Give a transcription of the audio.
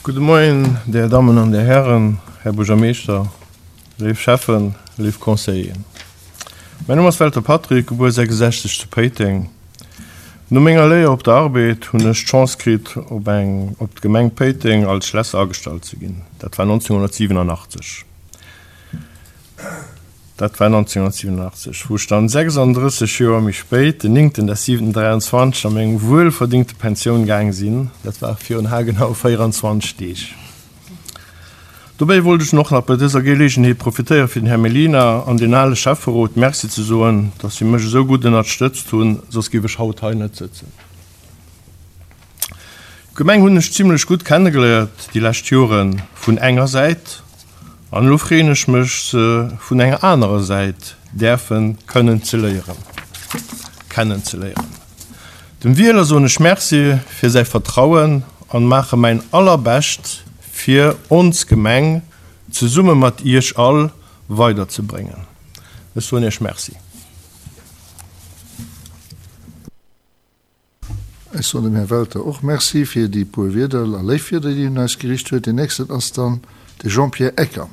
Gudde Moien, Dir Dammen an Dir Hären, Här Buergermeeschter, léif Schäffen, léif Conseilleren. Mäin Numm ass Welter Patrick, gebuer 66 zu Péiteng. No menger Léier op der Arbed hunn ech d'Chance kritt op eng op d'Gemeng Péiteng als Schlässer agestallt ze ginn. Dat war 1987. Dat war 1987, wou ech dann 36 Joer méi spéit, den néngten des siwenten 23, a meng wuelverdingte Pensioun gaang sinn. Dat war virun haargenau 24 Deeg. Dobäi wollt ech och nach bei dëser Geleegenheet profitéiere fir den Här Mellina an den ale Schäfferot Merci ze soen, dass si mech esou gutt ënnertstëtzt hunn, soss géif ech haut hei net sëtzen. D'Gemeng hunn ech zimlech gutt kennegeléiert déi lescht Jore vun enger Säit an elo freeën ech mech se vun enger anerer Säit däerfen kënnen ze léieren kennen ze léieren. Dem Wieler soen ech Merci fir säi Vertrauen an maache mäin allerbescht fir ons Gemeng zesumme mat iech all weider ze bréngen. Ech soen iech Merci. Ech soen dem Här Welter och Merci fir déi puer Wierder a léif Wierder, déi hien un eis gericht huet. Deen nächsten ass dann de Jean-Pierre Ecker.